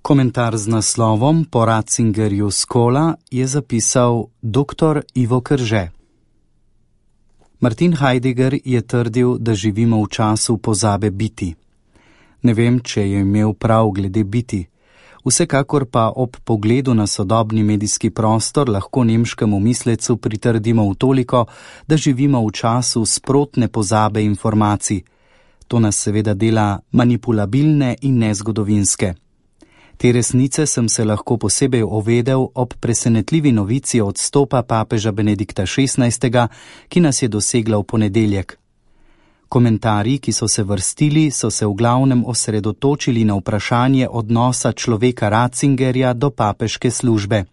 Komentar z naslovom Po Ratzingerju Skola je zapisal dr. Ivo Krže. Martin Heidegger je trdil, da živimo v času pozabe biti. Ne vem, če je imel prav glede biti. Vsekakor pa ob pogledu na sodobni medijski prostor lahko nemškemu mislecu pritrdimo v toliko, da živimo v času sprotne pozabe informacij. To nas seveda dela manipulabilne in nezgodovinske. Te resnice sem se lahko posebej ovedel ob presenetljivi novici odstopa papeža Benedikta XVI, ki nas je dosegla v ponedeljek. Komentarji, ki so se vrstili, so se v glavnem osredotočili na vprašanje odnosa človeka Ratzingerja do papeške službe.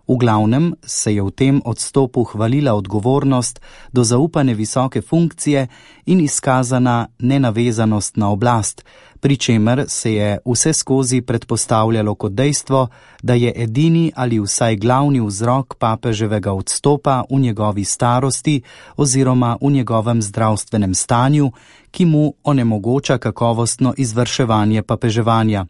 V glavnem se je v tem odstopu hvalila odgovornost do zaupane visoke funkcije in izkazana nenavezanost na oblast, pri čemer se je vse skozi predpostavljalo kot dejstvo, da je edini ali vsaj glavni vzrok papeževega odstopa v njegovi starosti oziroma v njegovem zdravstvenem stanju, ki mu onemogoča kakovostno izvrševanje papeževanja.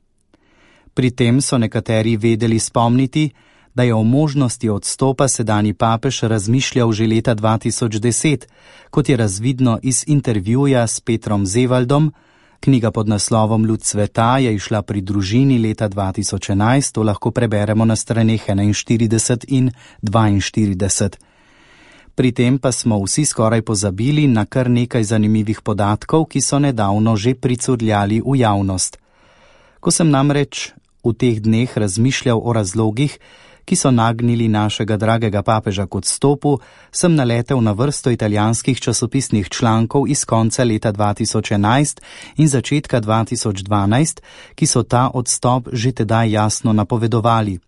Pri tem so nekateri vedeli spomniti, da je o možnosti odstopa sedanji papež razmišljal že leta 2010, kot je razvidno iz intervjuja s Petrom Zevaldom. Knjiga pod naslovom Luč sveta je išla pri družini leta 2011, to lahko preberemo na straneh 41 in 42. Pri tem pa smo vsi skoraj pozabili na kar nekaj zanimivih podatkov, ki so nedavno že pricurljali v javnost. Ko sem namreč v teh dneh razmišljal o razlogih, ki so nagnili našega dragega papeža k odstopu, sem naletel na vrsto italijanskih časopisnih člankov iz konca leta 2011 in začetka 2012, ki so ta odstop že tedaj jasno napovedovali.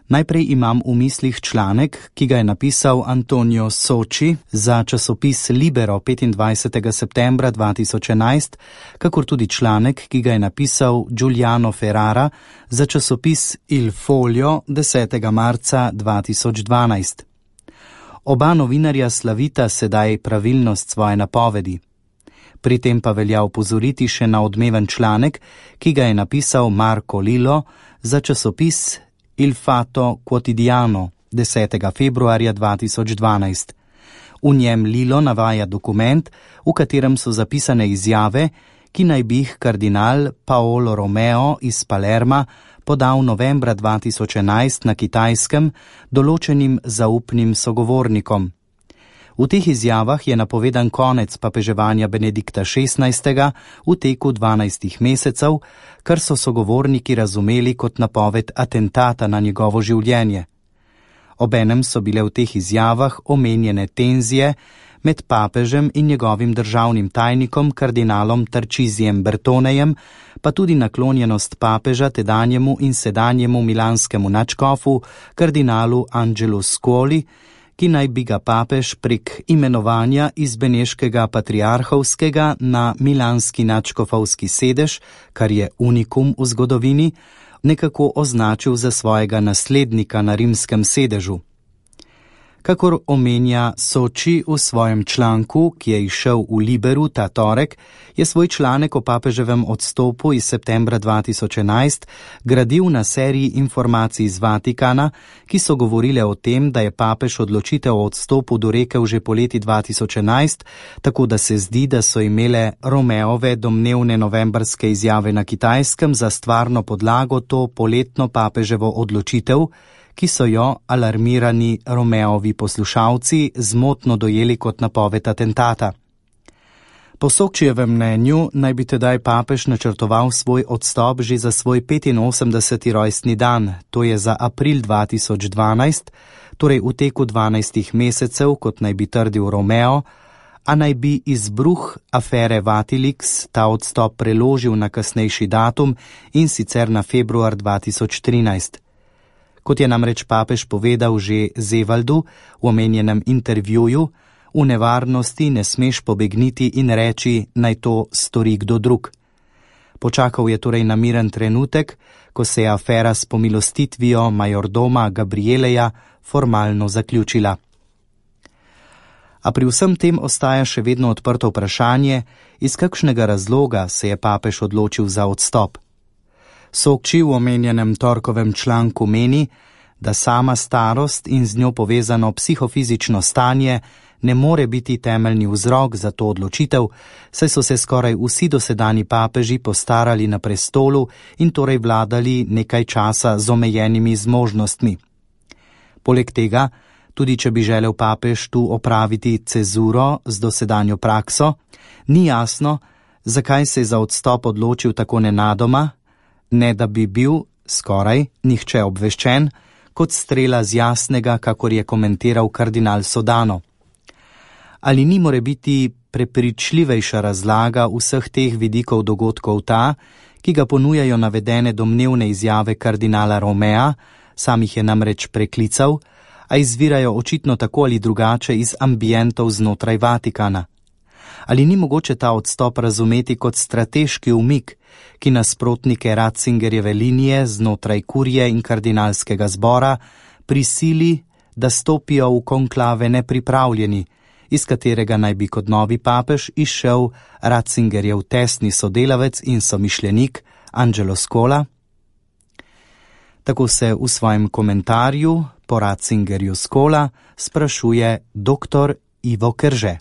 Najprej imam v mislih članek, ki ga je napisal Antonio Socci za časopis Libero 25. septembra 2011, kakor tudi članek, ki ga je napisal Giuliano Ferrara za časopis Il Foglio 10. marca 2012. Oba novinarja slavita sedaj pravilnost svoje napovedi. Pri tem pa velja opozoriti še na odmeven članek, ki ga je napisal Marco Lillo za časopis Il Fatto Quotidiano 10. februarja 2012. V njem Lillo navaja dokument, v katerem so zapisane izjave, ki naj bi jih kardinal Paolo Romeo iz Palerma podal novembra 2011 na Kitajskem določenim zaupnim sogovornikom. V teh izjavah je napovedan konec papeževanja Benedikta XVI v teku 12 mesecev, kar so sogovorniki razumeli kot napoved atentata na njegovo življenje. Obenem so bile v teh izjavah omenjene tenzije med papežem in njegovim državnim tajnikom kardinalom Tarcisijem Bertonejem, pa tudi naklonjenost papeža tedanjemu in sedanjemu milanskemu nadškofu kardinalu Angelu Scuoli, ki naj bi ga papež prek imenovanja iz beneškega patriarhovskega na milanski nadškofovski sedež, kar je unikum v zgodovini, nekako označil za svojega naslednika na rimskem sedežu. Kakor omenja Socci v svojem članku, ki je izšel v Liberu ta torek, je svoj članek o papeževem odstopu iz septembra 2011 gradil na seriji informacij iz Vatikana, ki so govorile o tem, da je papež odločitev o odstopu dorekel že poleti 2011, tako da se zdi, da so imele Romeove domnevne novembrske izjave na Kitajskem za stvarno podlago to poletno papeževo odločitev, ki so jo alarmirani Romeovi poslušalci zmotno dojeli kot napoved atentata. Po Soccijevem mnenju naj bi tedaj papež načrtoval svoj odstop že za svoj 85. rojstni dan, to je za april 2012, torej v teku 12 mesecev, kot naj bi trdil Romeo, a naj bi izbruh afere Vatilix ta odstop preložil na kasnejši datum in sicer na februar 2013. Kot je namreč papež povedal že Zevaldu v omenjenem intervjuju, v nevarnosti ne smeš pobegniti in reči, naj to stori kdo drug. Počakal je torej na miren trenutek, ko se je afera s pomilostitvijo majordoma Gabrieleja formalno zaključila. A pri vsem tem ostaja še vedno odprto vprašanje, iz kakšnega razloga se je papež odločil za odstop. Sokči v omenjenem torkovem članku meni, da sama starost in z njo povezano psihofizično stanje ne more biti temeljni vzrok za to odločitev, saj so se skoraj vsi dosedanji papeži postarali na prestolu in torej vladali nekaj časa z omejenimi zmožnostmi. Poleg tega, tudi če bi želel papež tu opraviti cezuro z dosedanjo prakso, ni jasno, zakaj se je za odstop odločil tako nenadoma, ne da bi bil skoraj nihče obveščen, kot strela z jasnega, kakor je komentiral kardinal Sodano. Ali ni morebiti prepričljivejša razlaga vseh teh vidikov dogodkov ta, ki ga ponujajo navedene domnevne izjave kardinala Romea, sam jih je namreč preklical, a izvirajo očitno tako ali drugače iz ambientov znotraj Vatikana. Ali ni mogoče ta odstop razumeti kot strateški umik, ki nasprotnike Ratzingerjeve linije znotraj kurije in kardinalskega zbora prisili, da stopijo v konklave nepripravljeni, iz katerega naj bi kot novi papež izšel Ratzingerjev tesni sodelavec in somišljenik Angelo Scola? Tako se v svojem komentarju po Ratzingerju Scola sprašuje dr. Ivo Kerže.